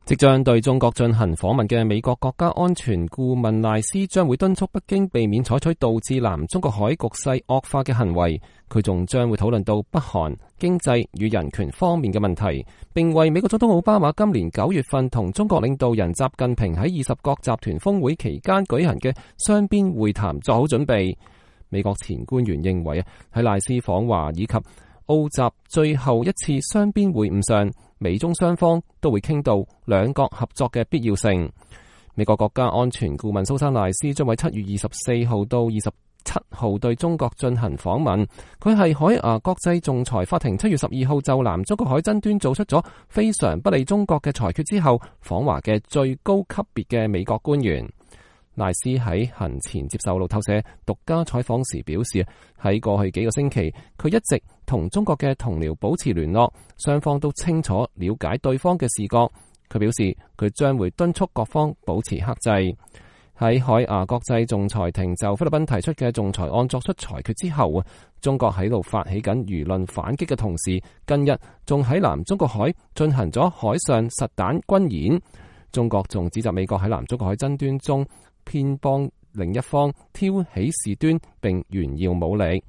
即將對中國進行訪問嘅美國國家安全顧問賴斯將會敦促北京避免採取導致南中國海局勢惡化嘅行為。佢仲將會討論到北韓經濟與人權方面嘅問題，並為美國總統奧巴馬今年9月份同中國領導人習近平喺20國集團峰會期間舉行嘅雙邊會談做好準備。美國前官員認為喺賴斯訪華以及澳習最後一次雙邊會晤上，美中雙方都會傾到兩國合作嘅必要性。美國國家安全顧問蘇珊賴斯將喺7月24號到27號對中國進行訪問。佢係海牙國際仲裁法庭7月12號就南中國海爭端做出咗非常不利中國嘅裁決之後訪華嘅最高級別嘅美國官員。賴斯喺行前接受路透社獨家採訪時表示，喺過去幾個星期，佢一直同中國嘅同僚保持聯絡，雙方都清楚了解對方嘅視角。佢表示，佢將會敦促各方保持克制。喺海牙國際仲裁庭就菲律賓提出嘅仲裁案作出裁決之後，中國喺度發起緊輿論反擊嘅同時，近日仲喺南中國海進行咗海上實彈軍演。中國仲指責美國喺南中國海爭端中偏幫另一方，挑起事端並炫耀武力。